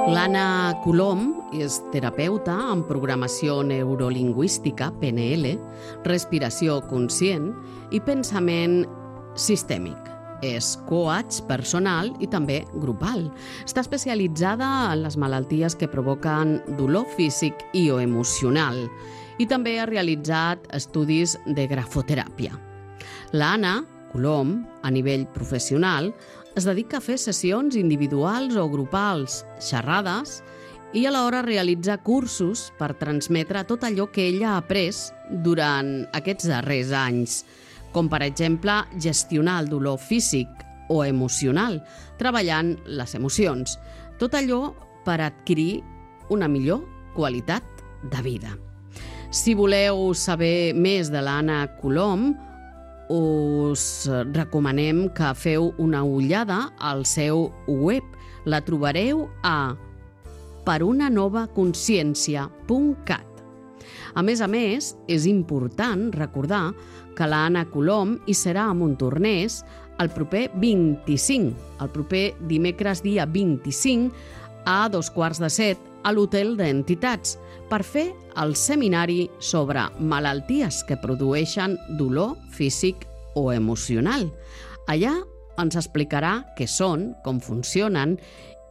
L'Anna Colom és terapeuta en programació neurolingüística, PNL, respiració conscient i pensament sistèmic. És coach personal i també grupal. Està especialitzada en les malalties que provoquen dolor físic i o emocional i també ha realitzat estudis de grafoteràpia. L'Anna Colom, a nivell professional, es dedica a fer sessions individuals o grupals, xerrades, i alhora realitza cursos per transmetre tot allò que ella ha après durant aquests darrers anys, com per exemple gestionar el dolor físic o emocional, treballant les emocions. Tot allò per adquirir una millor qualitat de vida. Si voleu saber més de l'Anna Colom, us recomanem que feu una ullada al seu web. La trobareu a perunanovaconciencia.cat. A més, és important recordar que l'Anna Colom hi serà a Montornès el proper 25, el proper dimecres dia 25 a 6:45 a l'Hotel d'Entitats per fer el seminari sobre malalties que produeixen dolor físic o emocional. Allà ens explicarà què són, com funcionen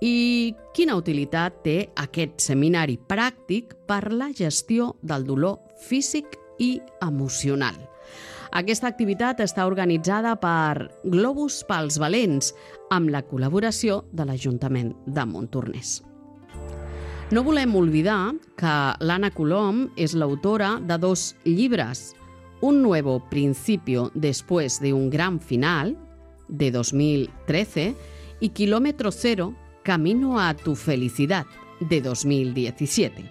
i quina utilitat té aquest seminari pràctic per la gestió del dolor físic i emocional. Aquesta activitat està organitzada per Globus pels Valents, amb la col·laboració de l'Ajuntament de Montornès. No volem oblidar que l'Anna Colom és l'autora de 2 llibres, Un nuevo principio después de un gran final, de 2013, i Kilómetro Cero, Camino a tu felicidad, de 2017.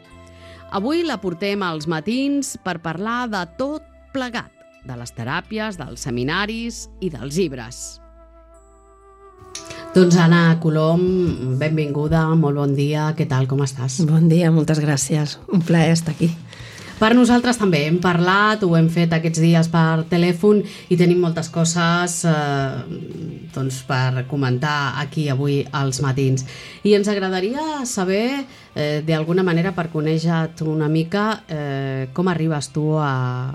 Avui la portem als matins per parlar de tot plegat, de les teràpies, dels seminaris i dels llibres. Doncs Anna Colom, benvinguda, molt bon dia, què tal, com estàs? Bon dia, moltes gràcies, un plaer estar aquí. Per nosaltres també hem parlat, ho hem fet aquests dies per telèfon i tenim moltes coses per comentar aquí avui als matins. I ens agradaria saber, d'alguna manera, per conèixer-te una mica, com arribes tu a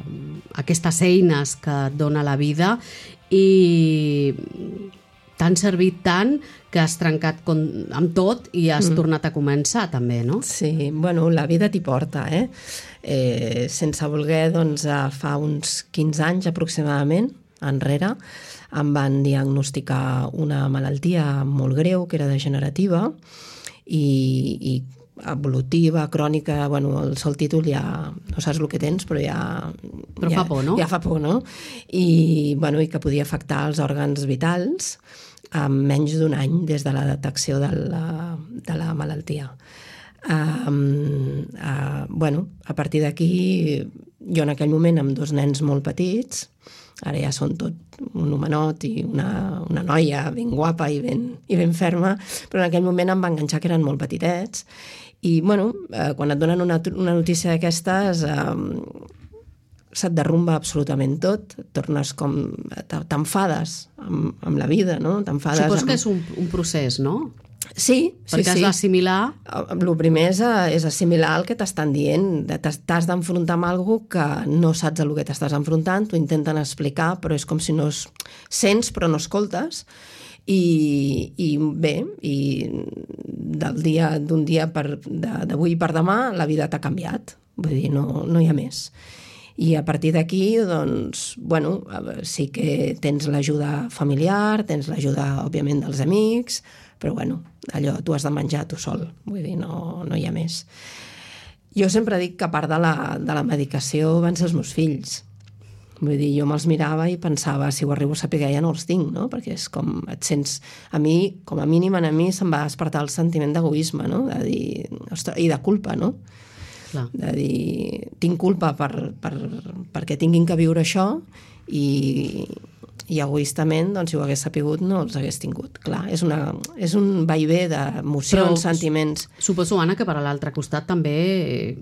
aquestes eines que et dona la vida i t'han servit tant que has trencat amb tot i has tornat a començar també, no? Sí, bueno, la vida t'hi porta, sense voler, doncs, fa uns 15 anys aproximadament, enrere, em van diagnosticar una malaltia molt greu, que era degenerativa i evolutiva, crònica, bueno, el sol títol ja no saps el que tens, però ja... Però fa por, no? Ja fa por, no? I que podia afectar els òrgans vitals en menys d'un any des de la detecció de la malaltia. A partir d'aquí, jo en aquell moment amb 2 nens molt petits, ara ja són tot un homenot i una noia ben guapa i ben ferma, però en aquell moment em va enganxar que eren molt petitets i quan et donen una notícia d'aquestes se't derrumba absolutament tot, tornes com... t'enfades amb la vida, no? Supos que és un procés, no? Sí. Perquè has d'assimilar... El primer és assimilar el que t'estan dient. T'has d'enfrontar amb alguna cosa que no saps el que t'estàs enfrontant, t'ho intenten explicar, però és com si no sents però no escoltes. I bé, d'un dia d'avui per demà la vida t'ha canviat. Vull dir, no hi ha més. I a partir d'aquí, doncs, sí que tens l'ajuda familiar, tens l'ajuda, òbviament, dels amics, però allò t'ho has de menjar tu sol, vull dir, no hi ha més. Jo sempre dic que a part de la medicació van ser els meus fills. Vull dir, jo me'ls mirava i pensava, si ho arribo a saber ja no els tinc, no? Perquè és com et sents... A mi, com a mínim, a mi se'm va despertar el sentiment d'egoisme, no? De dir, ostres, i de culpa, no? Clar. De dir, tinc culpa perquè tinguin que viure això i egoistament, doncs, si ho hagués sapigut, no els hagués tingut. Clar, és un vaivé d'emocions, sentiments... Suposo, Anna, que per a l'altre costat també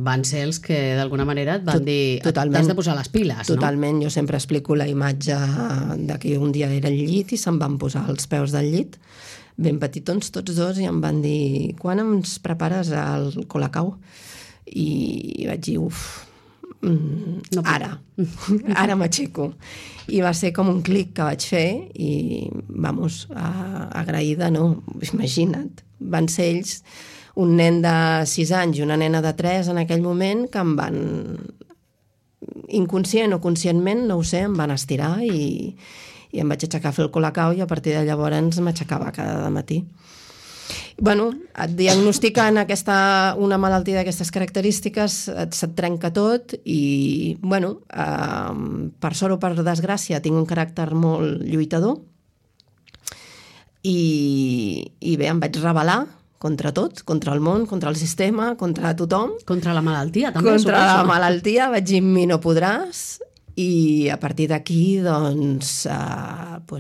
van ser els que d'alguna manera et van dir t'has de posar les piles, no? Totalment, jo sempre explico la imatge de que un dia era al llit i se'm van posar els peus del llit ben petitons tots dos, i em van dir, quan ens prepares el colacao? I vaig dir, ara m'aixeco. I va ser com un clic que vaig fer i, vamos, agraïda, no? Imagina't, van ser ells, un nen de 6 anys i una nena de 3 en aquell moment, que em van, inconscient o conscientment, no ho sé, em van estirar i em vaig aixecar a fer el colacao, i a partir de llavors m'aixecava cada matí. Bueno, et diagnostiquen una malaltia d'aquestes característiques, se't trenca tot i, bueno, per sort o per desgràcia, tinc un caràcter molt lluitador i bé, em vaig rebel·lar contra tot, contra el món, contra el sistema, contra tothom. Contra la malaltia, també. Contra la malaltia, vaig dir, mi no podràs, i a partir d'aquí, doncs,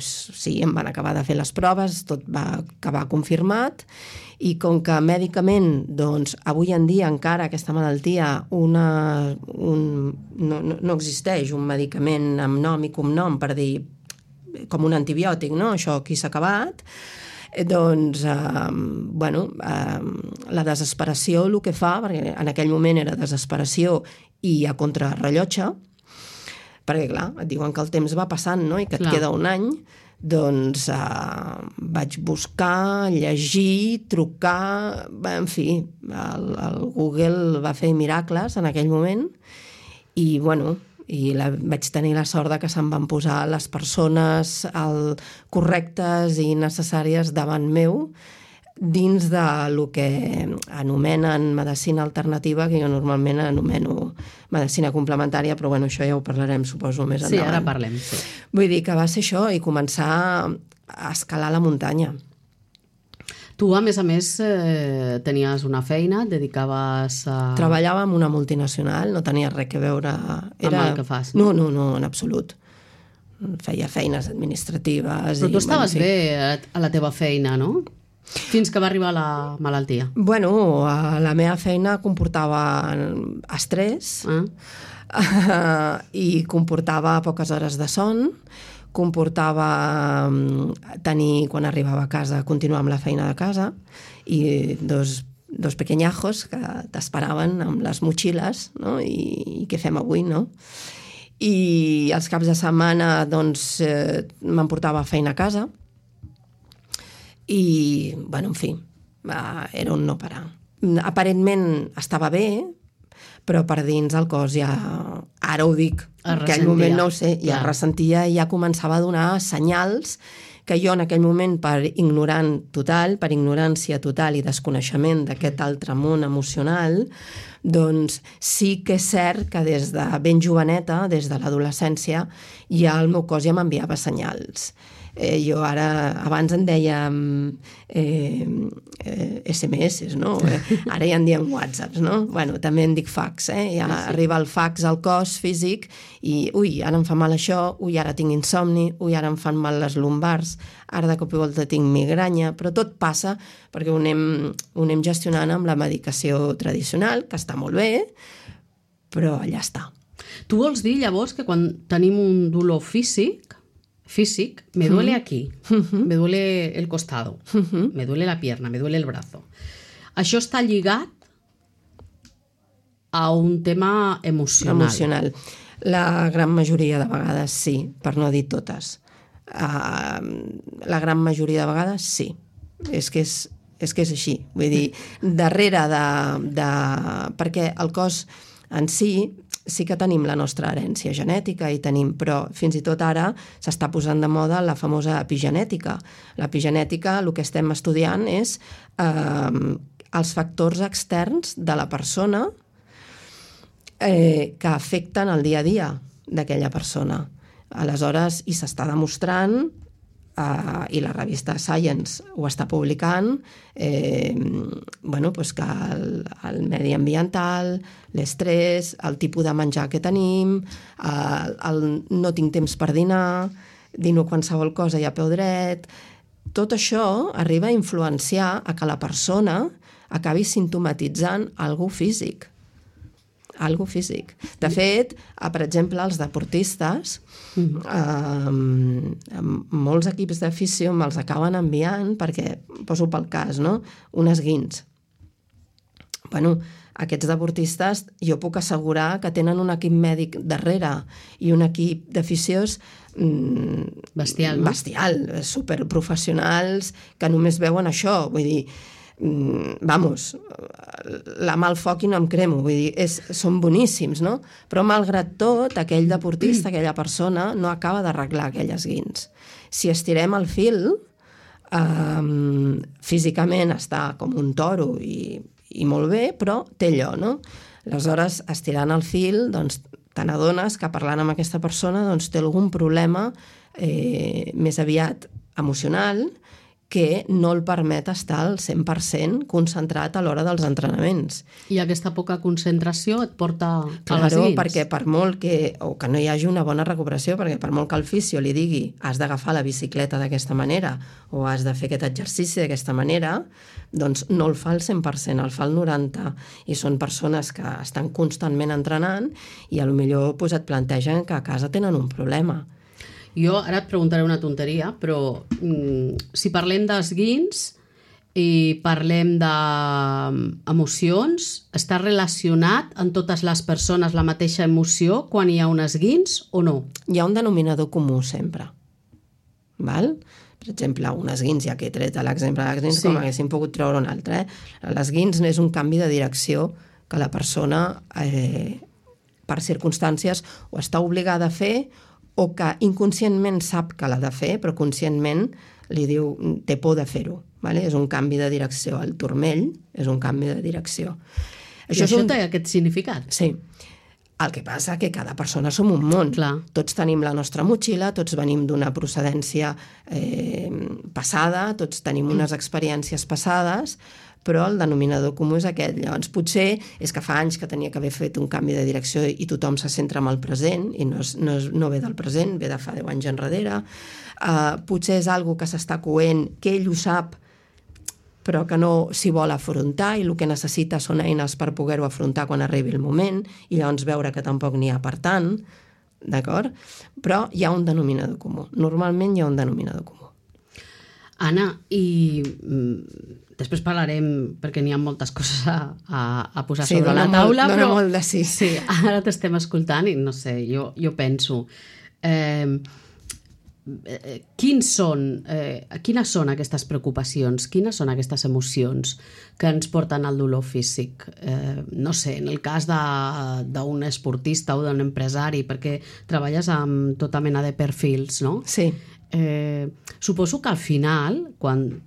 sí, em van acabar de fer les proves, tot va acabar confirmat, i com que mèdicament, doncs, avui en dia encara aquesta malaltia no existeix un medicament amb nom i cognom per dir, com un antibiòtic, no? Això aquí s'ha acabat. Doncs, bueno, la desesperació el que fa, perquè en aquell moment era desesperació i a contrarrellotge, perquè, clar, et diuen que el temps va passant, no?, i que et queda un any, doncs vaig buscar, llegir, trucar, en fi, el Google va fer miracles en aquell moment, i, bueno, vaig tenir la sort de que se'm van posar les persones correctes i necessàries davant meu, dins de lo que anomenen medicina alternativa, que jo normalment anomeno medicina complementària, però bueno, això ja ho parlarem, suposo, més endavant. Sí, ara parlem, sí. Vull dir que va ser això, i començar a escalar la muntanya. Tu, a més, tenies una feina, et dedicaves a... Treballava en una multinacional, no tenia res a veure... Amb el que fas, no? No, en absolut. Feia feines administratives... Però tu estaves bé a la teva feina, no? Fins que va arribar la malaltia. Bueno, la meva feina comportava estrès i comportava poques hores de son, comportava tenir, quan arribava a casa, continuar amb la feina de casa, i dos pequeñajos que t'esperaven amb les motxilles, no? I què fem avui, no? I els caps de setmana, doncs, m'emportava feina a casa, i, bueno, en fi, era un no parar. Aparentment estava bé, però per dins el cos ja, ara ho dic, en aquell moment no ho sé, ja ressentia i ja començava a donar senyals que jo en aquell moment, per ignorància total i desconeixement d'aquest altre món emocional, doncs sí que és cert que des de ben joveneta, des de l'adolescència, ja el meu cos ja m'enviava senyals. Jo ara, abans en dèiem SMS, no? Ara ja en diem WhatsApps, no? Bueno, també en dic fax, ja arriba el fax al cos físic i, ui, ara em fa mal això, ui, ara tinc insomni, ui, ara em fan mal les lumbars, ara de cop i volta tinc migranya, però tot passa perquè ho anem gestionant amb la medicació tradicional, que està molt bé, però allà està. Tu vols dir, llavors, que quan tenim un dolor físic, me duele aquí, me duele el costado, me duele la pierna, me duele el brazo. Això està lligat a un tema emocional. La gran majoria de vegades sí, per no dir totes. La gran majoria de vegades sí. És que és així. Vull dir, darrere perquè el cos en sí que tenim la nostra herència genètica però fins i tot ara s'està posant de moda la famosa epigenètica. L'epigenètica, el que estem estudiant és els factors externs de la persona que afecten el dia a dia d'aquella persona. Aleshores, i s'està demostrant, i la revista Science ho està publicant, que el medi ambiental, l'estrès, el tipus de menjar que tenim, el no tinc temps per dinar, dino qualsevol cosa i a peu dret, tot això arriba a influenciar a que la persona acabi simptomatitzant algú físic. algo físic. De fet, per exemple, els deportistes, molts equips d'afició me'ls acaben enviant perquè, poso pel cas, no? Un esguins. Bueno, aquests deportistes jo puc assegurar que tenen un equip mèdic darrere i un equip d'aficions bestial, no? Bestial, superprofessionals que només veuen això, vull dir, vamos, la mà al foc i no em cremo, vull dir, són boníssims, no? Però malgrat tot, aquell deportista, aquella persona, no acaba d'arreglar aquell esguins. Si estirem el fil, físicament està com un toro i molt bé, però té allò, no? Aleshores, estirant el fil, doncs, te n'adones que parlant amb aquesta persona doncs, té algun problema més aviat emocional que no el permet estar al 100% concentrat a l'hora dels entrenaments. I aquesta poca concentració et porta a les Claro, dins. perquè per molt que no hi hagi una bona recuperació, perquè per molt que el fisio li digui has d'agafar la bicicleta d'aquesta manera o has de fer aquest exercici d'aquesta manera, doncs no el fa al 100%, el fa al 90%. I són persones que estan constantment entrenant i potser pues, et plantegen que a casa tenen un problema. Jo ara et preguntaré una tonteria, però si parlem d'esguins i parlem d'emocions, està relacionat en totes les persones la mateixa emoció quan hi ha un esguins o no? Hi ha un denominador comú sempre. Val? Per exemple, un esguins, ja que he tret l'exemple d'esguins, com haguéssim pogut treure un altre. L'esguins és un canvi de direcció que la persona, per circumstàncies, o està obligada a fer o que inconscientment sap que l'ha de fer, però conscientment li diu, té por de fer-ho. Vale? És un canvi de direcció. El turmell és un canvi de direcció. Això té aquest significat? Sí. El que passa que cada persona som un món. Clar. Tots tenim la nostra motxilla, tots venim d'una procedència passada, tots tenim unes experiències passades, però el denominador comú és aquest. Llavors, potser és que fa anys que tenia que haver fet un canvi de direcció i tothom se centra en el present i no ve del present, ve de fa 10 anys enrere. Potser és algo que s'està coent, que ell ho sap, però que no s'hi vol afrontar i el que necessita són eines per poder-ho afrontar quan arribi el moment i llavors veure que tampoc n'hi ha per tant, d'acord? Però hi ha un denominador comú. Normalment hi ha un denominador comú. Anna, i després parlarem, perquè n'hi ha moltes coses a posar sobre la taula, dona molt de sí. Sí, ara t'estem escoltant i no sé, jo penso... quines són aquestes preocupacions, quines són aquestes emocions que ens porten al dolor físic? No sé, en el cas d'un esportista o d'un empresari, perquè treballes amb tota mena de perfils, no? Sí. Suposo que al final, quan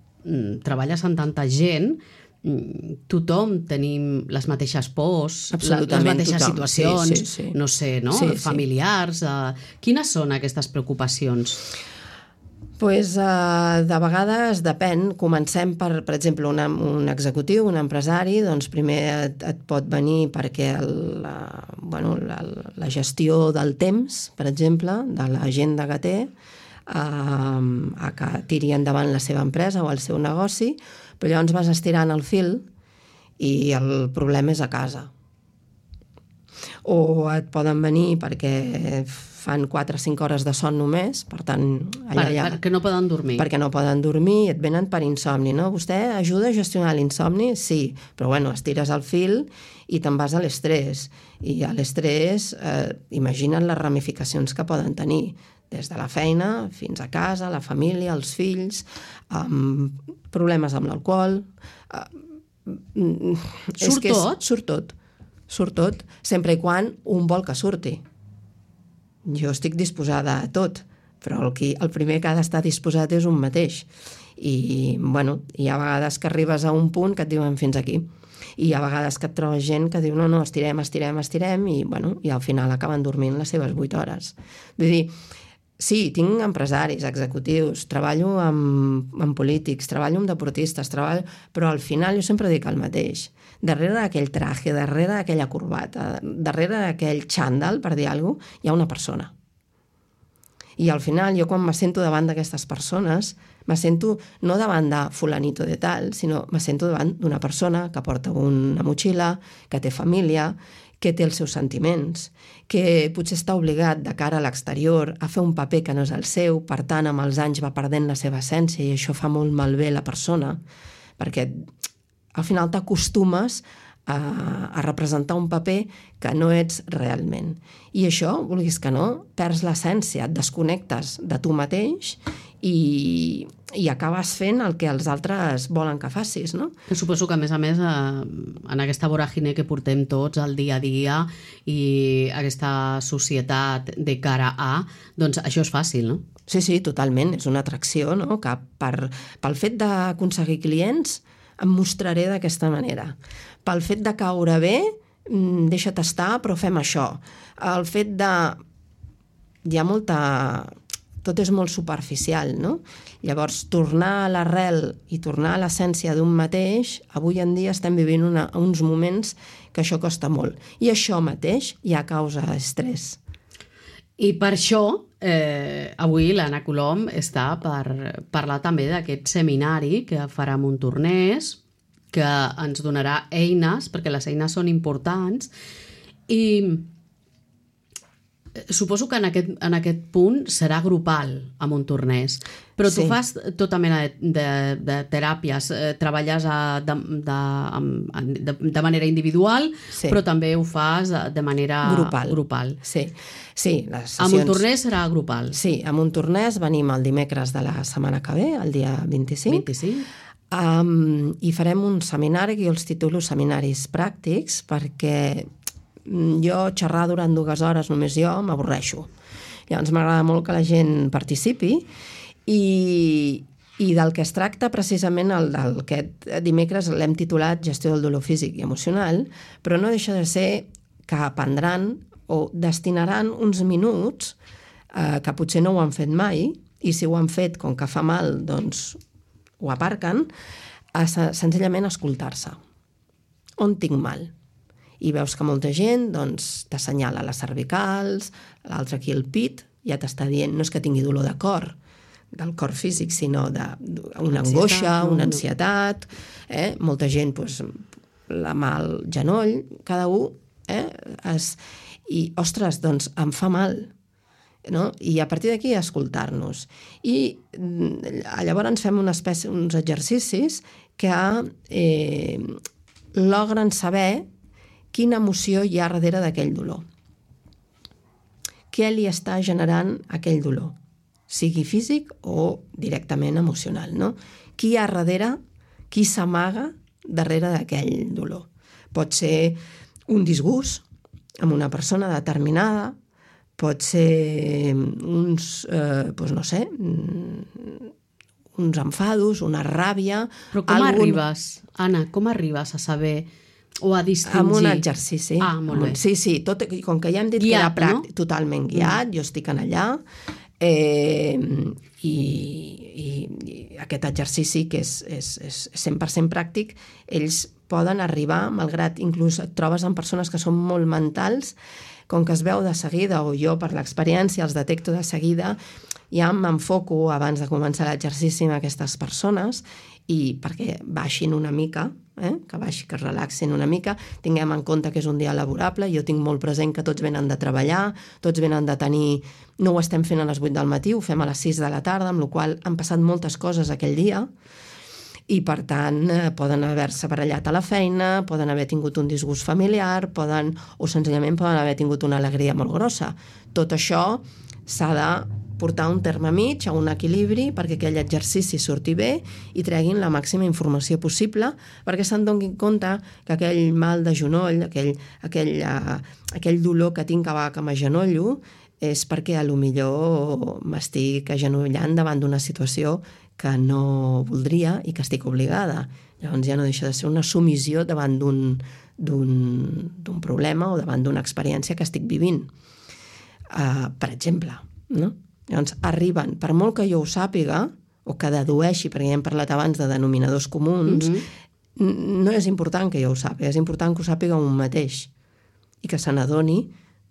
treballes amb tanta gent, tothom tenim les mateixes pors, les mateixes situacions, sí. No sé, no? Familiars. Quines són aquestes preocupacions? Pues, de vegades depèn. Comencem per exemple, un executiu, un empresari, doncs primer et pot venir perquè la gestió del temps, per exemple, de l'agenda que té, a que tiri endavant la seva empresa o el seu negoci, però llavors vas estirant el fil i el problema és a casa. O et poden venir perquè fan 4 o 5 hores de son només, per tant... Perquè no poden dormir. Perquè no poden dormir i et venen per insomni, no? Vostè ajuda a gestionar l'insomni? Sí, però bueno, estires el fil i te'n vas a l'estrès. I a l'estrès, imagina't les ramificacions que poden tenir, des de la feina fins a casa, la família, els fills, problemes amb l'alcohol... Surt tot, sempre i quan un vol que surti. Jo estic disposada a tot, però el primer que ha d'estar disposat és un mateix. I, bueno, hi ha vegades que arribes a un punt que et diuen fins aquí. I hi ha vegades que et trobes gent que diu no, estirem, i, bueno, i al final acaben dormint les seves 8 hores. Vull dir, sí, tinc empresaris, executius, treballo amb polítics, treballo amb deportistes, però al final jo sempre dic el mateix. Darrere d'aquell traje, darrere d'aquella corbata, darrere d'aquell xandall, per dir alguna cosa, hi ha una persona. I al final, jo quan me sento davant d'aquestes persones, me sento no davant de fulanito de tal, sinó me sento davant d'una persona que porta una motxilla, que té família, que té els seus sentiments, que potser està obligat de cara a l'exterior a fer un paper que no és el seu, per tant, amb els anys va perdent la seva essència i això fa molt malbé la persona, perquè al final t'acostumes a representar un paper que no ets realment. I això, vulguis que no, perds l'essència, et desconnectes de tu mateix i acabes fent el que els altres volen que facis, no? Suposo que, a més, en aquesta voràgine que portem tots al dia a dia i aquesta societat de cara a, doncs això és fàcil, no? Sí, totalment, és una atracció, no? Que pel fet d'aconseguir clients em mostraré d'aquesta manera. Pel fet de caure bé, deixa't estar, però fem això. El fet de... Hi ha molta... Tot és molt superficial, no? Llavors, tornar a l'arrel i tornar a l'essència d'un mateix, avui en dia estem vivint uns moments que això costa molt. I això mateix ja causa estrès. I per això, avui l'Anna Colom està per parlar també d'aquest seminari que farà Montornès, que ens donarà eines, perquè les eines són importants, i suposo que en aquest punt serà grupal a Montornès, però tu fas tota mena de teràpies, treballes de manera individual, però també ho fas de manera grupal. Sí, les sessions... A Montornès serà grupal. Sí, a Montornès venim el dimecres de la setmana que ve, el dia 25. I farem un seminari que jo els titulo seminaris pràctics, perquè jo xerrar durant 2 hores només jo m'avorreixo. Llavors m'agrada molt que la gent participi i del que es tracta precisament aquest dimecres l'hem titulat Gestió del dolor físic i emocional, però no deixa de ser que aprendran o destinaran uns minuts que potser no ho han fet mai i si ho han fet com que fa mal doncs ho aparquen a senzillament escoltar-se. On tinc mal? I veus que molta gent doncs, t'assenyala les cervicals, l'altre aquí el pit, ja t'està dient, no és que tingui dolor de cor, del cor físic, sinó d'una angoixa, una ansietat, molta gent, doncs, la mà al genoll, cada un, i, ostres, doncs em fa mal, no? I a partir d'aquí escoltar-nos. I llavors fem uns exercicis que logren saber quina emoció hi ha darrere d'aquell dolor. Què li està generant aquell dolor? Sigui físic o directament emocional, no? Qui hi ha darrere, qui s'amaga darrere d'aquell dolor? Pot ser un disgust amb una persona determinada, pot ser uns enfados, una ràbia... Però com arribes, Anna, com arribes a saber o a distingir? Amb un exercici. Molt bé. Sí, com que ja hem dit guiat, que era pràctic, no? Totalment guiat, jo estic en allà, i aquest exercici, que és 100% pràctic, ells poden arribar, malgrat inclús et trobes amb persones que són molt mentals, com que es veu de seguida, o jo per l'experiència els detecto de seguida, ja m'enfoco abans de començar l'exercici amb aquestes persones i perquè baixin una mica, que es relaxin una mica, tinguem en compte que és un dia laborable, jo tinc molt present que tots venen de treballar, tots venen de tenir... No ho estem fent a les 8 del matí, ho fem a les 6 de la tarda, amb la qual cosa han passat moltes coses aquell dia, i per tant poden haver-se barallat a la feina, poden haver tingut un disgust familiar, o senzillament poden haver tingut una alegria molt grossa. Tot això s'ha de portar un terme mig, a un equilibri, perquè aquell exercici surti bé i treguin la màxima informació possible, perquè se'n donin compte que aquell mal de genoll, aquell dolor que tinc cada vegada que m'agenollo, és perquè a lo millor m'estic agenollant davant d'una situació que no voldria i que estic obligada. Llavors ja no deixa de ser una submissió davant d'un problema o davant d'una experiència que estic vivint. Per exemple, no? Llavors arriben, per molt que jo ho sàpiga, o que dedueixi, perquè ja hem parlat abans de denominadors comuns, no és important que jo ho sàpiga, és important que ho sàpiga un mateix i que se n'adoni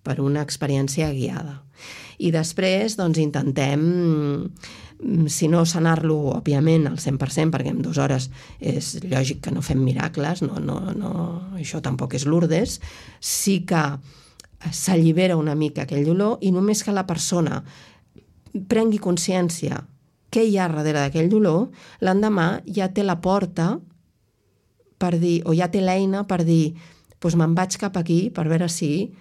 per una experiència guiada. I després doncs, intentem, si no sanar-lo, òbviament, al 100%, perquè en 2 hores és lògic que no fem miracles, això tampoc és Lourdes, sí que s'allibera una mica aquell dolor i només que la persona prengui consciència què hi ha darrere d'aquell dolor, l'endemà ja té la porta per dir, o ja té l'eina per dir, doncs me'n vaig cap aquí per veure si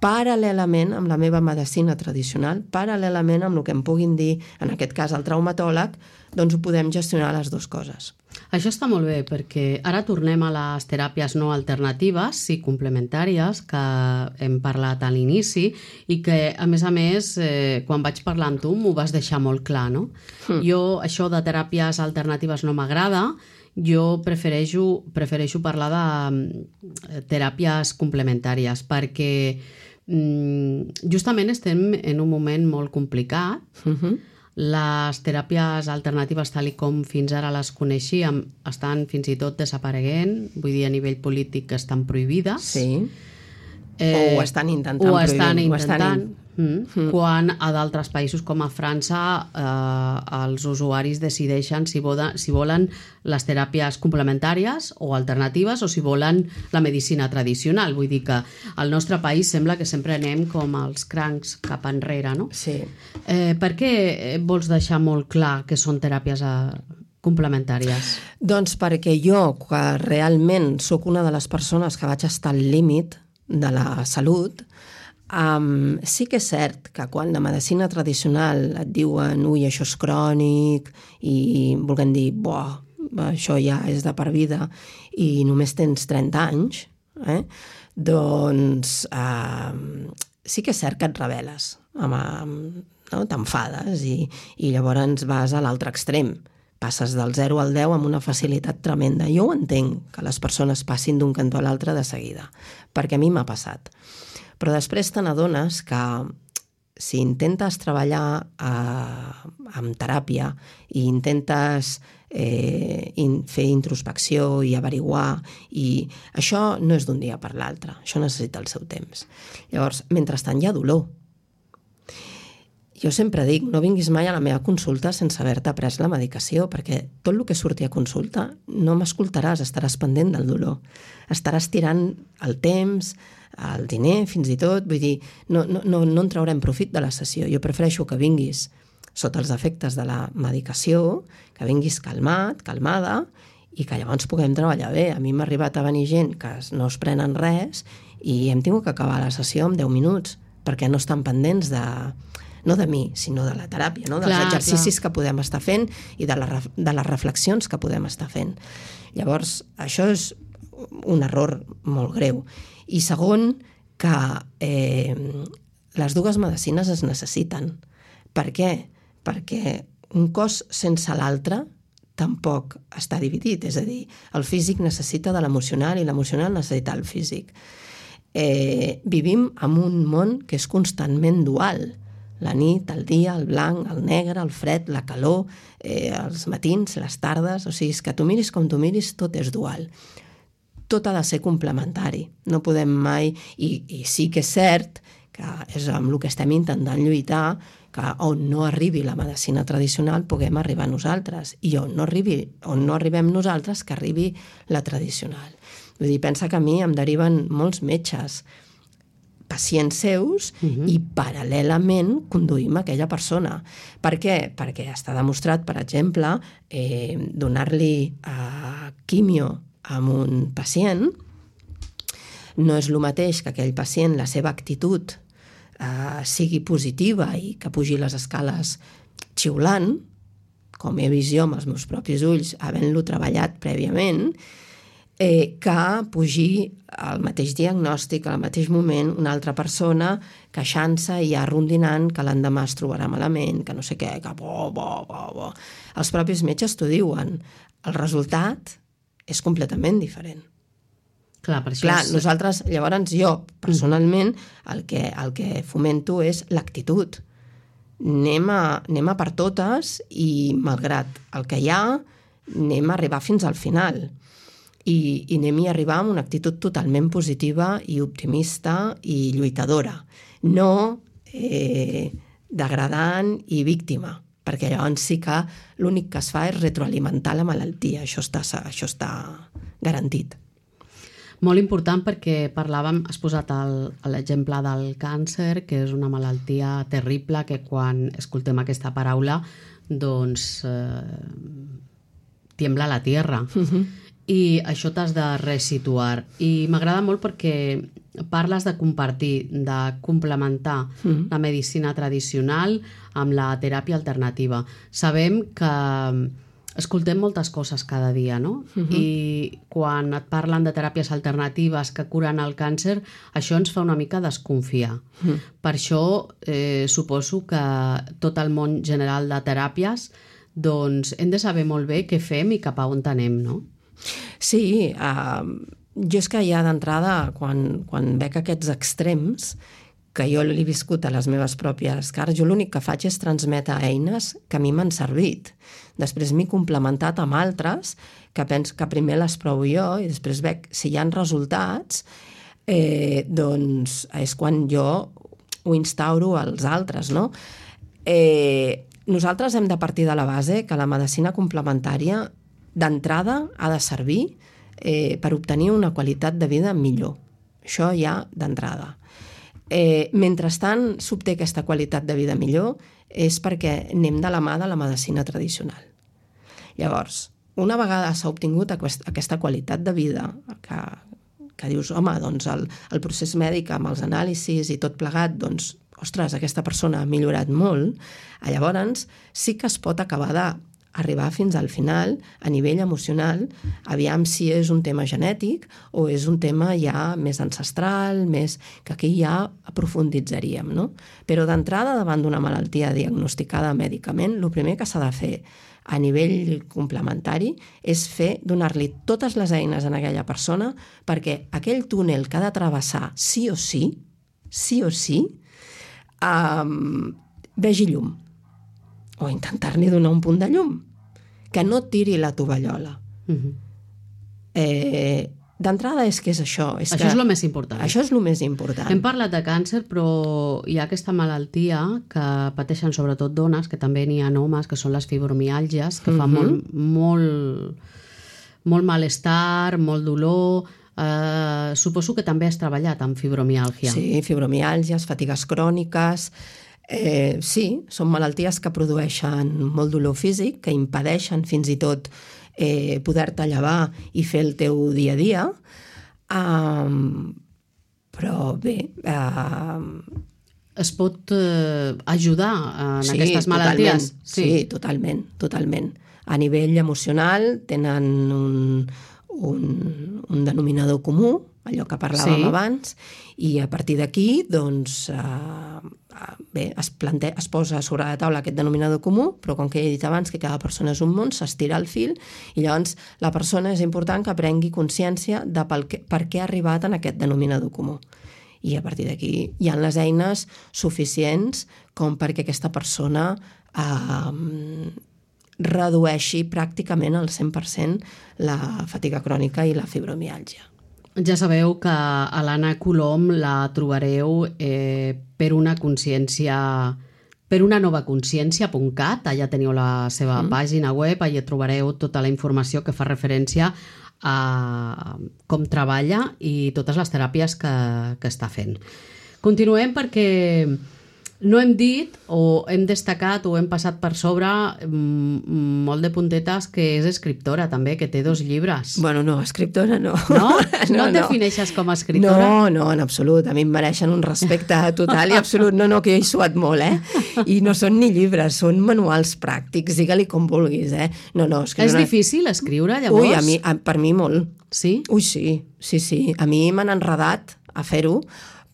paral·lelament amb la meva medicina tradicional, paral·lelament amb el que em puguin dir, en aquest cas el traumatòleg, doncs ho podem gestionar les 2 coses. Això està molt bé, perquè ara tornem a les teràpies no alternatives, sí complementàries, que hem parlat a l'inici, i que, a més, quan vaig parlar amb tu m'ho vas deixar molt clar, no? Jo, això de teràpies alternatives no m'agrada, jo prefereixo parlar de teràpies complementàries, perquè justament estem en un moment molt complicat. Les teràpies alternatives, tal com fins ara les coneixíem, estan fins i tot desapareguent, vull dir, a nivell polític que estan prohibides. Sí. O ho estan intentant prohibir. Quan a d'altres països com a França els usuaris decideixen si volen les teràpies complementàries o alternatives o si volen la medicina tradicional. Vull dir que al nostre país sembla que sempre anem com els crancs cap enrere, no? Sí. Per què vols deixar molt clar que són teràpies complementàries? Doncs perquè jo, que realment sóc una de les persones que vaig estar al límit de la salut, sí que és cert que quan la medicina tradicional et diuen ui, això és crònic i vulguem dir, això ja és de per vida i només tens 30 anys, doncs sí que és cert que et rebel·les, t'enfades i llavors vas a l'altre extrem. Passes del 0 al 10 amb una facilitat tremenda. Jo ho entenc, que les persones passin d'un cantó a l'altre de seguida, perquè a mi m'ha passat. Però després te n'adones que si intentes treballar amb teràpia i intentes fer introspecció i averiguar, i això no és d'un dia per l'altre, això necessita el seu temps. Llavors, mentrestant hi ha dolor. Jo sempre dic, no vinguis mai a la meva consulta sense haver-te pres la medicació, perquè tot el que surti a consulta no m'escoltaràs, estaràs pendent del dolor. Estaràs tirant el temps, el diner, fins i tot, vull dir, no en traurem profit de la sessió. Jo prefereixo que vinguis sota els efectes de la medicació, que vinguis calmat, calmada, i que llavors puguem treballar bé. A mi m'ha arribat a venir gent que no es prenen res i hem tingut que acabar la sessió en 10 minuts, perquè no estan pendents no de mi, sinó de la teràpia, no? Dels exercicis que podem estar fent i de les reflexions que podem estar fent. Llavors, això és un error molt greu. I segon, que les 2 medicines es necessiten. Per què? Perquè un cos sense l'altre tampoc està dividit. És a dir, el físic necessita de l'emocional i l'emocional necessita el físic. Vivim en un món que és constantment dual. La nit, el dia, el blanc, el negre, el fred, la calor, els matins, les tardes... O sigui, és que tu miris com tu miris, tot és dual. Tot ha de ser complementari. No podem mai... I sí que és cert que és amb el que estem intentant lluitar, que on no arribi la medicina tradicional puguem arribar nosaltres. I on no arribem nosaltres, que arribi la tradicional. Vull dir, pensa que a mi em deriven molts metges, pacients seus, i paral·lelament conduïm aquella persona. Per què? Perquè està demostrat, per exemple, donar-li quimio a un pacient no és el mateix que aquell pacient, la seva actitud sigui positiva i que pugi les escales xiulant, com he vist jo amb els meus propis ulls, havent-lo treballat prèviament, que pugi al mateix diagnòstic, al mateix moment, una altra persona queixant-se i ja rondinant que l'endemà es trobarà malament, que no sé què, que bo. Els propis metges t'ho diuen. El resultat és completament diferent. Clar, per això Clar, nosaltres, llavors jo, personalment, el que fomento és l'actitud. Anem a per totes i, malgrat el que hi ha, anem a arribar fins al final. i anem-hi a arribar amb una actitud totalment positiva i optimista i lluitadora, no degradant i víctima, perquè llavors sí que l'únic que es fa és retroalimentar la malaltia, això està garantit. Molt important perquè parlàvem, has posat l'exemple del càncer, que és una malaltia terrible que quan escoltem aquesta paraula doncs tiembla la tierra. I això t'has de resituar. I m'agrada molt perquè parles de compartir, de complementar la medicina tradicional amb la teràpia alternativa. Sabem que escoltem moltes coses cada dia, no? I quan et parlen de teràpies alternatives que curen el càncer, això ens fa una mica desconfiar. Per això suposo que tot el món general de teràpies doncs hem de saber molt bé què fem i cap a on anem, no? Sí, jo és que ja d'entrada, quan veig aquests extrems, que jo l'he viscut a les meves pròpies cares, jo l'únic que faig és transmetre eines que a mi m'han servit. Després m'he complementat amb altres que penso que primer les provo jo i després veig si hi ha resultats, doncs és quan jo ho instauro als altres, no? Nosaltres hem de partir de la base que la medicina complementària d'entrada ha de servir per obtenir una qualitat de vida millor. Això ja d'entrada. Mentrestant s'obté aquesta qualitat de vida millor és perquè anem de la mà de la medicina tradicional. Llavors, una vegada s'ha obtingut aquesta qualitat de vida que dius, home, doncs el procés mèdic amb els anàlisis i tot plegat, doncs, ostres, aquesta persona ha millorat molt, llavors sí que es pot acabar d'arribar fins al final a nivell emocional, aviam si és un tema genètic o és un tema ja més ancestral, que aquí ja aprofunditzaríem, no? Però d'entrada, davant d'una malaltia diagnosticada mèdicament, el primer que s'ha de fer a nivell complementari és donar-li totes les eines a aquella persona perquè aquell túnel que ha de travessar sí o sí, vegi llum. O intentar-li donar un punt de llum. Que no tiri la tovallola. D'entrada és que és això. Això és el més important. Això és el més important. Hem parlat de càncer, però hi ha aquesta malaltia que pateixen sobretot dones, que també n'hi ha homes, que són les fibromiàlgies, que fa molt malestar, molt dolor. Suposo que també has treballat amb fibromiàlgia. Sí, fibromiàlgies, fatigues cròniques. Sí, són malalties que produeixen molt dolor físic, que impedeixen fins i tot poder-te llevar i fer el teu dia a dia. Però bé... Es pot ajudar en aquestes malalties? Sí, totalment. A nivell emocional tenen un denominador comú, allò que parlàvem abans, i a partir d'aquí doncs, es posa sobre la taula aquest denominador comú, però com que he dit abans que cada persona és un món, s'estira el fil i llavors la persona és important que prengui consciència de per què ha arribat en aquest denominador comú. I a partir d'aquí hi ha les eines suficients com perquè aquesta persona redueixi pràcticament al 100% la fatiga crònica i la fibromiàlgia. Ja sabeu que a l'Anna Colom la trobareu per una nova consciència.cat, allà teniu la seva pàgina web, allà trobareu tota la informació que fa referència a com treballa i totes les teràpies que està fent. Continuem perquè no hem dit o hem destacat o hem passat per sobre molt de puntetes que és escriptora també, que té 2 llibres. Bueno, no, escriptora no. No? No et defineixes com a escriptora? No, en absolut. A mi em mereixen un respecte total i absolut. No, que jo he suat molt, I no són ni llibres, són manuals pràctics, digue-li com vulguis, No, és que és difícil escriure, llavors? Ui, per mi molt. Sí? Ui, sí. A mi m'han enredat a fer-ho,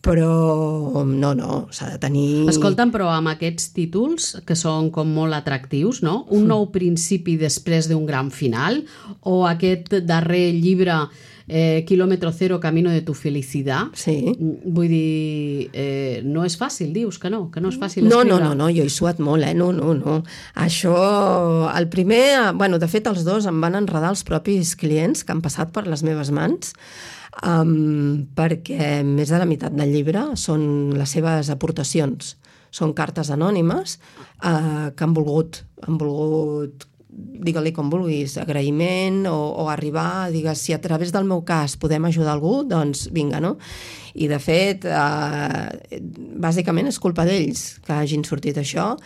però no, s'ha de tenir... Escolta'm, però amb aquests títols, que són com molt atractius, no? Un nou principi després d'un gran final, o aquest darrer llibre, Kilómetro Cero, Camino de tu felicidad. Sí. Vull dir, no és fàcil, dius que no és fàcil escriure. No, jo he suat molt, no. Això, el primer, bueno, de fet els dos em van enredar els propis clients que han passat per les meves mans, perquè més de la meitat del llibre són les seves aportacions, són cartes anònimes que han volgut digue-li com vulguis, agraïment o arribar, digues, si a través del meu cas podem ajudar algú, doncs vinga, no? I de fet, bàsicament és culpa d'ells que hagin sortit això,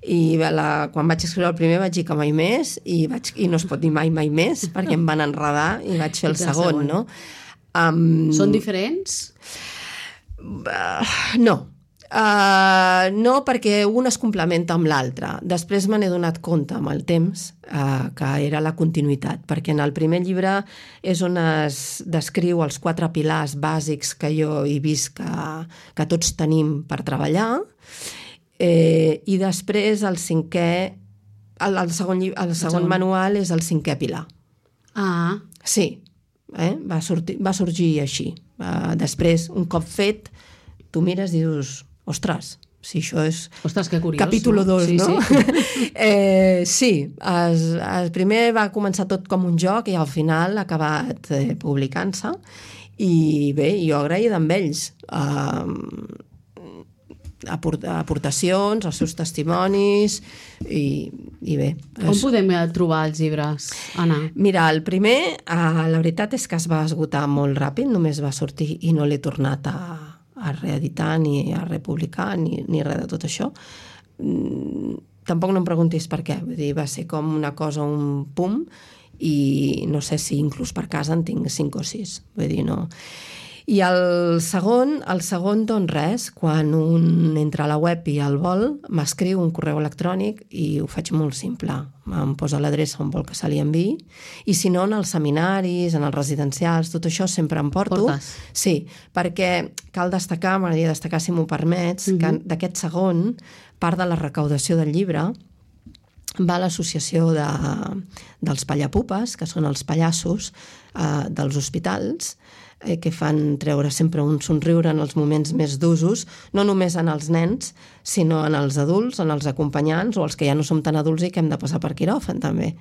i quan vaig escriure el primer vaig dir que mai més, i no es pot dir mai més, perquè em van enredar i vaig fer el segon, no? Són diferents? No. No, perquè un es complementa amb l'altre. Després me n'he donat compte amb el temps que era la continuïtat, perquè en el primer llibre és on es descriu els 4 pilars bàsics que jo he vist que tots tenim per treballar, i després el cinquè, el segon manual és el 5è pilar. Ah. Sí, va sorgir així. Després, un cop fet, tu mires i dius... Ostres, si això és... Ostres, que curiós. Capítulo 2, sí, no? Sí, sí, primer va començar tot com un joc i al final ha acabat publicant-se. I bé, jo agraïda amb ells. Aportacions, els seus testimonis i bé. On podem trobar els llibres, Anna? Mira, el primer, la veritat és que es va esgotar molt ràpid, només va sortir i no l'he tornat a reeditar ni a republicar ni res de tot això. Tampoc no em preguntis per què, vull dir, va ser com una cosa, un pum, i no sé si inclús per casa en tinc 5 o 6, vull dir, no. I el segon, doncs res, quan un entra a la web i el vol, m'escriu un correu electrònic i ho faig molt simple. Em posa l'adreça on vol que se li enviï, i si no, en els seminaris, en els residencials, tot això sempre em porto. Portes? Sí, perquè cal destacar, m'agradaria destacar, si m'ho permets, que d'aquest segon, part de la recaudació del llibre va a l'associació dels pallapupes, que són els pallassos dels hospitals, que fan treure sempre un somriure en els moments més d'usos, no només en els nens, sinó en els adults, en els acompanyants o els que ja no som tan adults i que hem de passar per quiròfan, també.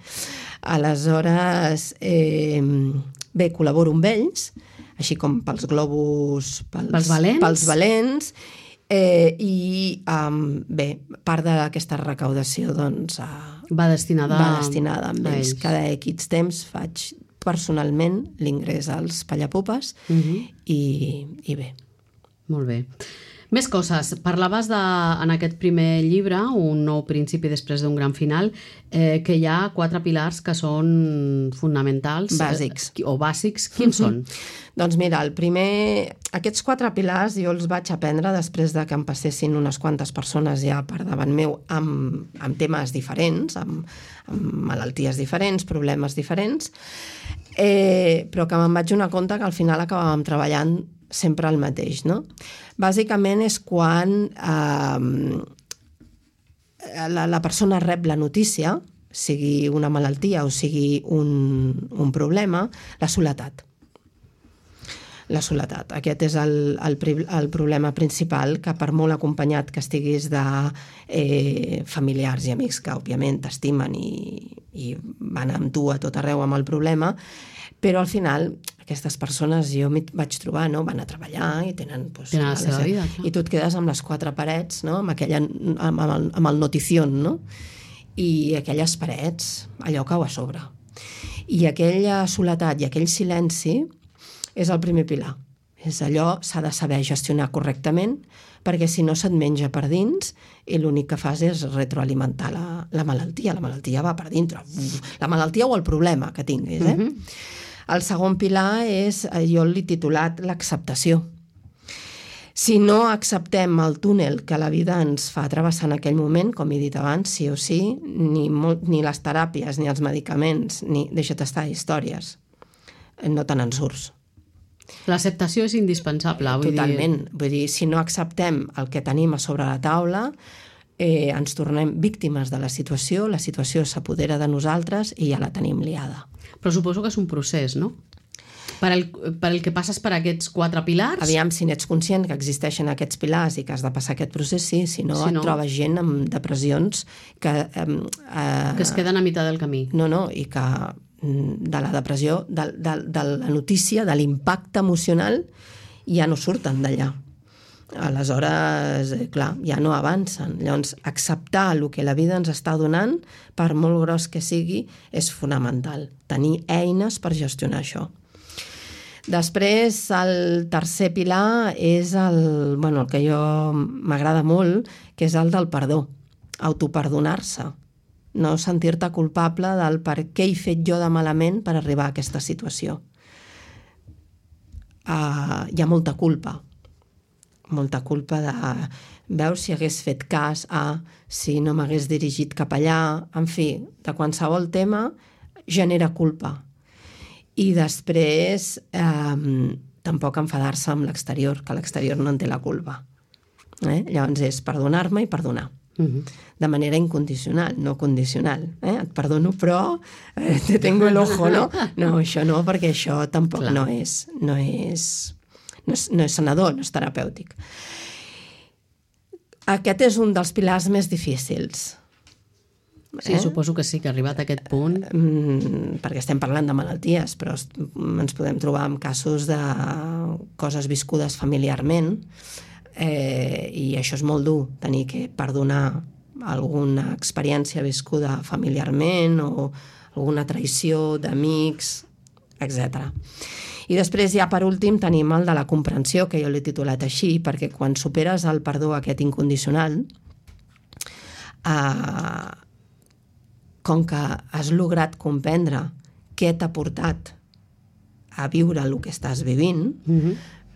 Aleshores, bé, col·laboro amb ells, així com pels globus, pels valents, i bé, part d'aquesta recaudació doncs, va destinada amb ells. Cada X temps faig personalment l'ingrés als pallapupes i bé. Molt bé. Més coses. Parlaves en aquest primer llibre, Un nou principi després d'un gran final, que hi ha 4 pilars que són fonamentals. Bàsics. O bàsics. Quins són? Doncs mira, aquests 4 pilars jo els vaig aprendre després de que em passessin unes quantes persones ja per davant meu amb temes diferents, amb malalties diferents, problemes diferents, però que me'n vaig donar compte que al final acabàvem treballant sempre el mateix, no? Bàsicament és quan la persona rep la notícia, sigui una malaltia o sigui un problema, la soledat. La soledat. Aquest és el problema principal, que per molt acompanyat que estiguis de familiars i amics que òbviament t'estimen i van amb tu a tot arreu amb el problema, però al final aquestes persones jo m'hi vaig trobar, no? Van a treballar i tenen la seva vida. I tu et quedes amb les 4 parets, no? Amb el notición, no? I aquelles parets, allò cau a sobre. I aquella soledat i aquell silenci és el primer pilar. És allò, s'ha de saber gestionar correctament, perquè si no se't menja per dins i l'únic que fas és retroalimentar la malaltia. La malaltia va per dintre. La malaltia o el problema que tinguis, El segon pilar és, jo l'he titulat l'acceptació. Si no acceptem el túnel que la vida ens fa travessar en aquell moment, com he dit abans, sí o sí, ni les teràpies, ni els medicaments, ni deixa't estar històries, no te n'en surts. L'acceptació és indispensable. Totalment. Vull dir, si no acceptem el que tenim a sobre la taula, ens tornem víctimes de la situació s'apodera de nosaltres i ja la tenim liada. Però suposo que és un procés, no? Per el que passes per aquests 4 pilars... Aviam, si n'ets conscient que existeixen aquests pilars i que has de passar aquest procés, sí, si no et trobes gent amb depressions que es queden a meitat del camí. No, i que de la depressió, de la notícia, de l'impacte emocional, ja no surten d'allà. Aleshores, clar, ja no avancen. Llavors, acceptar el que la vida ens està donant, per molt gros que sigui, és fonamental. Tenir eines per gestionar això. Després, el tercer pilar és el que jo m'agrada molt, que és el del perdó, autoperdonar-se. No sentir-te culpable del per què he fet jo de malament per arribar a aquesta situació. Hi ha molta culpa de veus si hagués fet cas si no m'hagués dirigit cap allà, en fi, de qualsevol tema genera culpa. I després tampoc enfadar-se amb l'exterior, que l'exterior no en té la culpa. Llavors és perdonar-me i perdonar. De manera incondicional, no condicional. Et perdono, però te tengo el ojo, no? No, això no, perquè això tampoc no és sanador, no és terapèutic. Aquest és un dels pilars més difícils. Sí, suposo que sí, que ha arribat a aquest punt. Perquè estem parlant de malalties, però ens podem trobar amb casos de coses viscudes familiarment, i això és molt dur, tenir que perdonar alguna experiència viscuda familiarment o alguna traïció d'amics, etc. I després ja per últim tenim el de la comprensió, que jo l'he titulat així, perquè quan superes el perdó aquest incondicional, com que has lograt comprendre què t'ha portat a viure el que estàs vivint,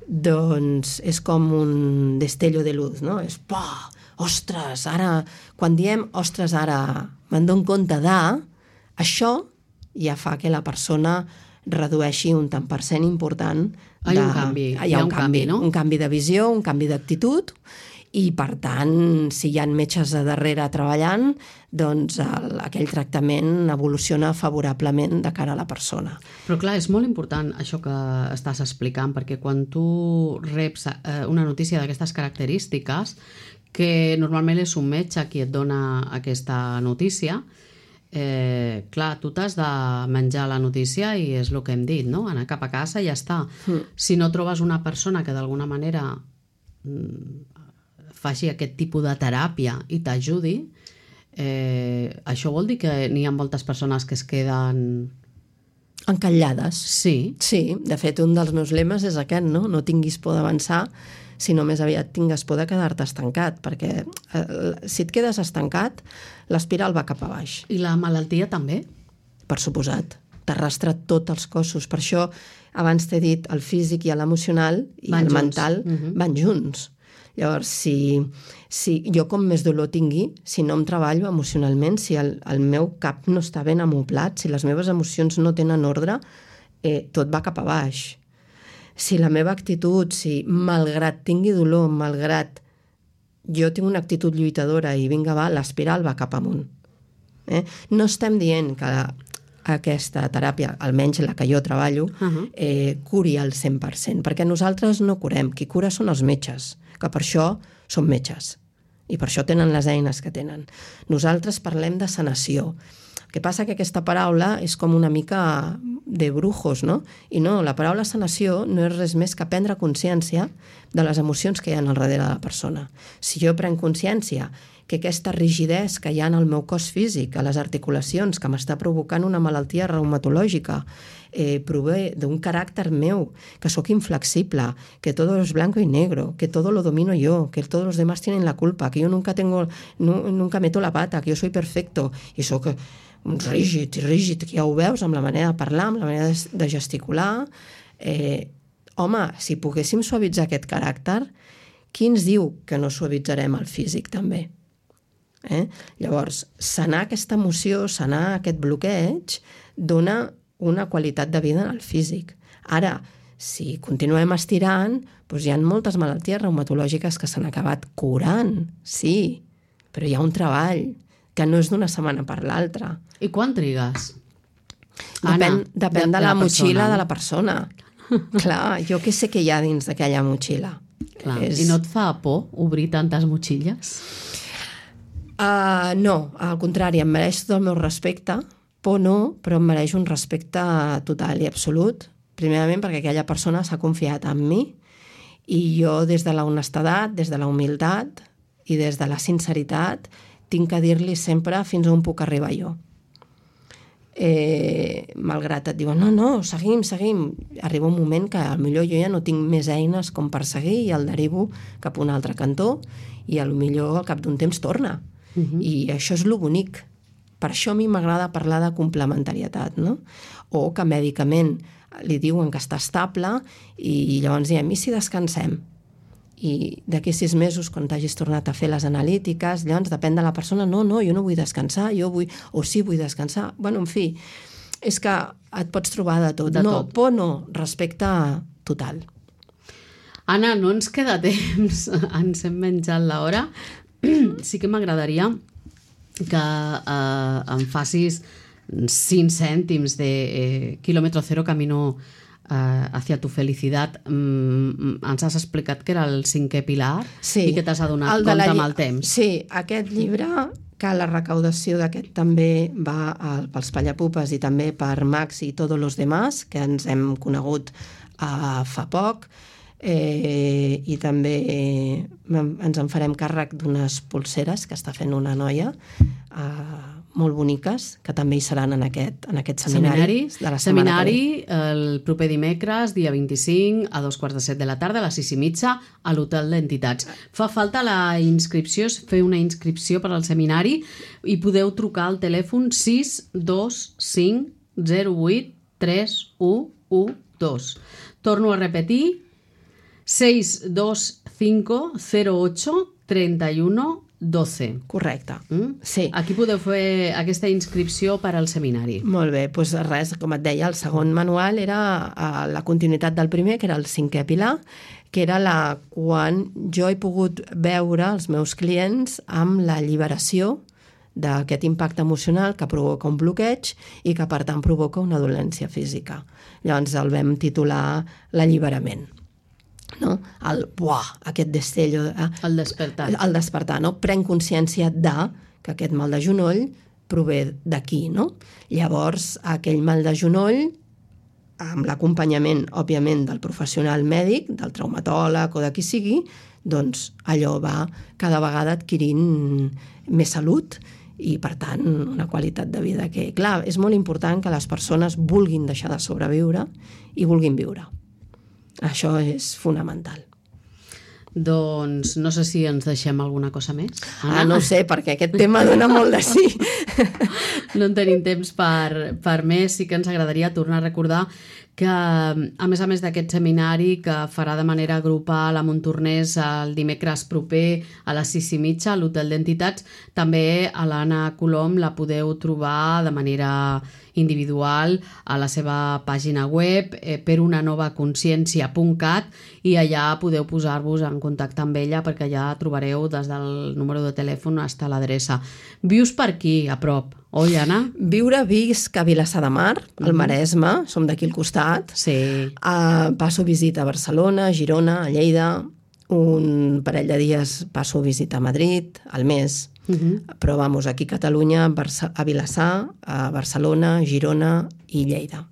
doncs és com un destello de luz, no? És, ostres, ara, quan diem, ostres, ara me'n dono compte de, això ja fa que la persona redueixi un tant per cent important. Hi ha un canvi, no? Un canvi de visió, un canvi d'actitud, i per tant, si hi ha metges a darrere treballant, doncs aquell tractament evoluciona favorablement de cara a la persona. Però clar, és molt important això que estàs explicant, perquè quan tu reps una notícia d'aquestes característiques, que normalment és un metge qui et dona aquesta notícia, clar, tu t'has de menjar la notícia i és el que hem dit, no? Anar cap a casa i ja està. Si no trobes una persona que d'alguna manera faci aquest tipus de teràpia i t'ajudi, això vol dir que n'hi ha moltes persones que es queden... encallades. Sí. Sí, de fet, un dels meus lemes és aquest, no? No tinguis por d'avançar, sinó més aviat tingues por de quedar-te estancat, perquè si et quedes estancat, l'espiral va cap a baix. I la malaltia també? Per suposat. T'arrastra tots els cossos. Per això, abans t'he dit, el físic i l'emocional i el mental van junts. Llavors, si jo com més dolor tingui, si no em treballo emocionalment, si el meu cap no està ben amoplat, si les meves emocions no tenen ordre, tot va cap a baix. Si la meva actitud, si malgrat tingui dolor, malgrat jo tinc una actitud lluitadora i vinga, va, l'espiral va cap amunt. No estem dient que aquesta teràpia, almenys la que jo treballo, curi al 100%, perquè nosaltres no curem, qui cura són els metges, que per això són metges i per això tenen les eines que tenen. Nosaltres parlem de sanació. El que passa que aquesta paraula és com una mica de brujos, no? I no, la paraula sanació no és res més que prendre consciència de les emocions que hi ha al darrere de la persona. Si jo prenc consciència que aquesta rigidesa que hi ha en el meu cos físic, a les articulacions, que m'està provocant una malaltia reumatològica, prové d'un caràcter meu, que sóc inflexible, que todo es blanco y negro, que todo lo domino yo, que todos los demás tienen la culpa, que yo nunca meto la pata, que yo soy perfecto, i sóc rígid, que ja ho veus amb la manera de parlar, amb la manera de gesticular. Home, si poguéssim suavitzar aquest caràcter, qui ens diu que no suavitzarem el físic també? Llavors, sanar aquesta emoció, sanar aquest bloqueig, dona una qualitat de vida en el físic. Ara, si continuem estirant, doncs hi ha moltes malalties reumatològiques que s'han acabat curant, sí, però hi ha un treball que no és d'una setmana per l'altra. I quan trigues? Depèn de la motxilla de la persona. Clar, jo què sé què hi ha dins d'aquella motxilla. Clar. I no et fa por obrir tantes motxilles? No, al contrari, em mereix tot el meu respecte. Por no, però em mereix un respecte total i absolut. Primerament perquè aquella persona s'ha confiat en mi i jo des de la honestedat, des de la humilitat i des de la sinceritat tinc que dir-li sempre fins on puc arribar jo. Malgrat et diuen no, seguim, arriba un moment que potser jo ja no tinc més eines com per seguir i el derivo cap a un altre cantó i potser al cap d'un temps torna. I això és lo bonic. Per això a mi m'agrada parlar de complementarietat, no? O que mèdicament li diuen que està estable i llavors diem, i si descansem? I d'aquí 6 mesos, quan t'hagis tornat a fer les analítiques, llavors depèn de la persona, no, jo no vull descansar, o sí vull descansar. Bueno, en fi, és que et pots trobar de tot. Por no, respecte total. Anna, no ens queda temps, ens hem menjat l'hora. Sí que m'agradaria que em facis 5 cèntims de quilòmetre zero camino hacia tu felicitat. Ens has explicat que era el 5è pilar i que t'has adonat compte amb el temps. Sí, aquest llibre, que la recaudació d'aquest també va pels Pallapupes i també per Max i Todos los demás, que ens hem conegut fa poc, i també ens en farem càrrec d'unes pulseres que està fent una noia molt boniques, que també hi seran en aquest seminari de la setmana seminari el proper dimecres, dia 25, a 2:15 de la tarda, a les 6:30, a l'Hotel d'Entitats. Fa falta la inscripció, fer una inscripció per al seminari i podeu trucar al telèfon 625 08 3112. Torno a repetir, 625 08 31 12. Correcte. Sí. Aquí podeu fer aquesta inscripció per al seminari. Molt bé, doncs res, com et deia, el segon manual era la continuïtat del primer, que era el 5è pilar, que era quan jo he pogut veure els meus clients amb l'alliberació d'aquest impacte emocional que provoca un bloqueig i que, per tant, provoca una dolència física. Llavors el vam titular l'alliberament. No? Aquest destello, el despertar, no? Prenc consciència que aquest mal de genoll prové d'aquí, no? Llavors aquell mal de genoll, amb l'acompanyament òbviament del professional mèdic, del traumatòleg o de qui sigui, doncs allò va cada vegada adquirint més salut i, per tant, una qualitat de vida que, clar, és molt important que les persones vulguin deixar de sobreviure i vulguin viure. Això és fonamental. Doncs no sé si ens deixem alguna cosa més. No sé, perquè aquest tema dona molt de sí. No en tenim temps per més. Sí que ens agradaria tornar a recordar que, a més d'aquest seminari que farà de manera grupal a Montornès el dimecres proper a les 6:30 a l'Hotel d'Entitats, també a l'Anna Colom la podeu trobar de manera individual a la seva pàgina web perunanovaconciencia.cat i allà podeu posar-vos en contacte amb ella perquè allà trobareu des del número de telèfon fins a l'adreça. Vius per aquí, a prop, oi, Anna? Visc a Vilassar de Mar, al Maresme, som d'aquí al costat. Sí. Passo visita a Barcelona, a Girona, a Lleida, un parell de dies passo visita a Madrid, al mes. Però vamos, aquí a Catalunya, a Vilassar, a Barcelona, Girona i Lleida.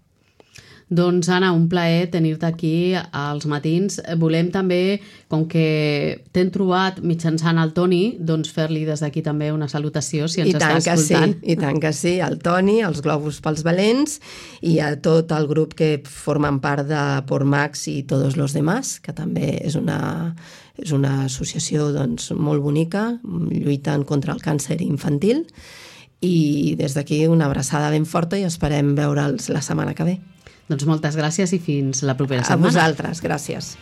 Doncs, Anna, un plaer tenir-te aquí als matins. Volem també, com que t'hem trobat mitjançant el Toni, doncs fer-li des d'aquí també una salutació, si ens està escoltant. I tant que sí, al Toni, als Globus pels Valents i a tot el grup que formen part de Por Max i Todos los demás, que també és una associació doncs, molt bonica, lluitant contra el càncer infantil. I des d'aquí una abraçada ben forta i esperem veure'ls la setmana que ve. Doncs moltes gràcies i fins la propera setmana. A vosaltres, gràcies.